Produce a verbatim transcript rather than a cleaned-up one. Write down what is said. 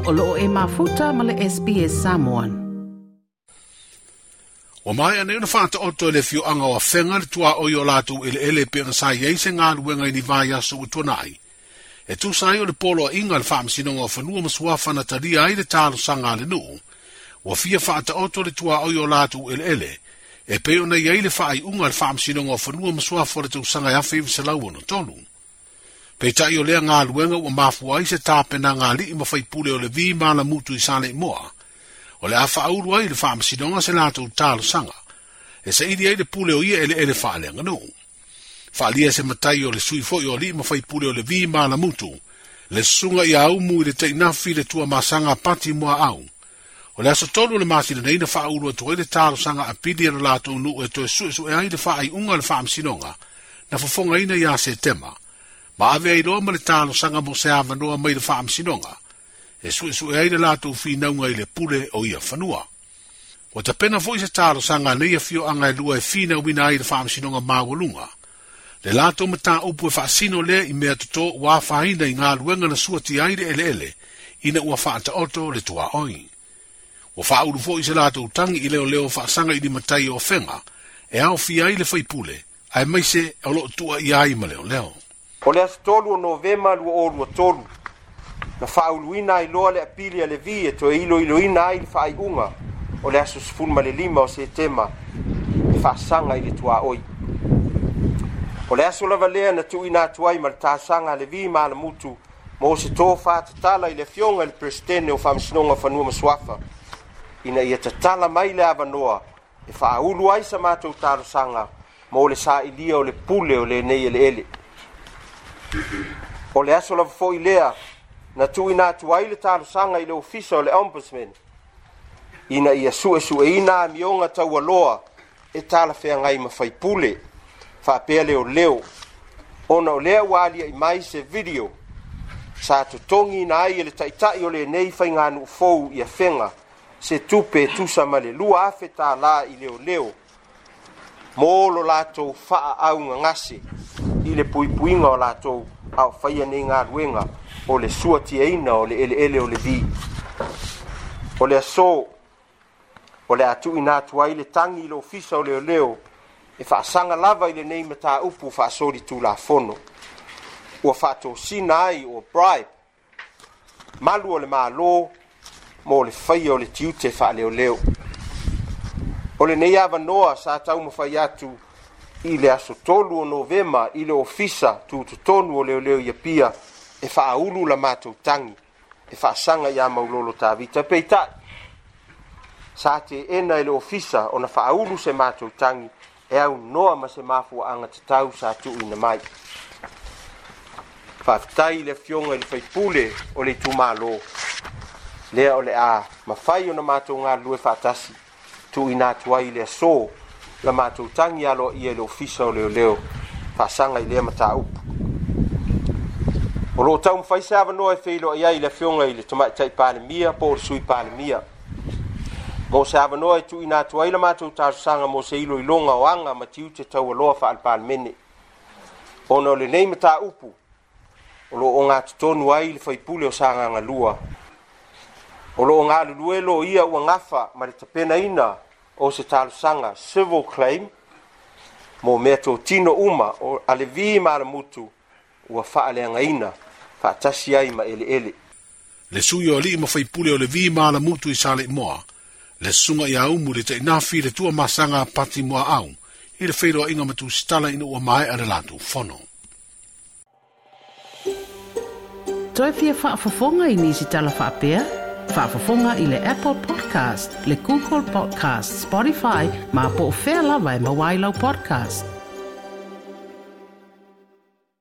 O loo e mafuta ma le S B S Samoan. Ua mai ane una whaata oto e le fioanga o awhenga le tua oi o lātou ele ele pe nga sai ei se ngā luenga i ni vai aso ua tuanai. E tūsa ai o le polo a inga le whaamsinonga o whanua masuafa na taria ai le tālo sanga le nuu. Ua fia whaata oto le tua oi o lātou ele ele. E pe ona i ai le whaai unga le whaamsinonga o whanua masuafa o le tausanga e awhi i ono tolu. Peitai o lea ngā luenga ua mafua ai se tāpena ngā lii mawhaipule o le vi mala mutu i sale moa. O le awha auru ai le whaamasinonga se lātou tālo sanga. E sa ili ai le pule o ia ele ele whaaleanga nuu. Whaalia se matai o le sui foi o lii mawhaipule o le vi mala mutu. Le sunga i aumu i le teinafi le tua masanga pati mua au. O le aso tolu le masina neina whaauru atu ai le tālo sanga a pili a le lātou nuu e toe sue sue ai le whaai unga le whaamasinonga. Na fofonga ina ia se tema. Ma ave ai loa ma le tālo sanga mo se awanoa mai le whaamasinonga. E sue sue ai le lātou whinaunga i le pule o ia whanua. Ua tapena foi se tālo sanga nei a fio anga e lua e whina wina ai le whaamasinonga mawalunga. Le lātou mata upu e whaasino lea i mea toto ua whaina i ngā luenga na suati ai le ele ele, ina ua whaata oto le tua oi. Ua whauru foi se lātou tangi i leo leo whaasanga i ni matai o whenga, e au fia ai le whaipule, ai maise o loo tua i ai ma leo leo. O le aso tolu o Novema lua o lua tolu, na whauluina ai loa le apili a le vi e toe ilo iloina ai le whaaiunga o le aso sefulu ma le lima o Setema e whaasanga i le tua oi. O le aso lava lea na tuuina atu ai ma le tāsaga a le vi ma le mutu mo se tō whātatala i le fionga i le presidente o Faamasinoga o Fanua ma Suafa ina ia tatala mai le avanoa e faaulu ai sa matou talosaga mo le sailia o le pule o lenei eleele. O le aso lava foi lea na tuuina atu ai le talosaga i le ofisa o le ombudsman ina ia suesueina amioga taualoa e talafeagai ma faipule faapea leoleo ona o lea ua alia'i mai se video sa totogiina ai e le taʻitaʻi o lenei faiganuu fou ia fega se tupe e tusa ma le lua afe tālā i leoleo mo lo latou faaʻaugagase i le puipuiga o latou a o faia nei galuega o le suatiaina o le eleele o le vi. O le aso o le atuʻina atu ai le tagi i le ofisa o leoleo e faasaga lava i lenei mataupu faasoli tulafono ua faatosina ai o bribe malu o le mālō mo le faia o le tiute faaleoleo. O lenei avanoa sa taumafai atu i le aso tolu o Novema i le ofisa tutotonu o leoleo ia pia e faaulu la matou tagi e faasaga iā Maulolo Tavita. Peitai sa teena e le ofisa ona faaulu se matou tagi e aunoa ma se mafuaaga tatau sa tuuina mai. Faafetai i le afioga i le faipule o le itumālō lea o le a mafai ona matou galulue faatasi tuuina atu ai i le aso la matou tagi aloaia i le ofisa o leoleo faasaga i lea mataupu. O loo taumafai se avanoa e feiloai ai i le afioga i le tamaʻitai palemia po o le sui palemia mo se avanoa e tuuina atu ai la matou talosaga mo se iloiloga o aga ma tiute taualoa faalepalemene ona o lenei mataupu o loo gatotonu ai le faipule o Sagaga lua. O loo galulue lo ia ua gafa ma le tapenaina o se talosaga civil claim mo mea totino uma o a le vi ma le mutu ua faaleagaina faatasi ai ma eleele. Le sui o alii mawhaipule o le vi ma la mutu i sale moa. Le sunga i aumu le teinafi le tua masanga pati mua au i le whairoa inga matu stala ina ua mae a le lātou fono. Toi fia faafofoga i nisi tala faapea? Faafofoga i le Apple Podcast, le Google Podcast, Spotify, ma po o fea lava e maua ai lau podcast.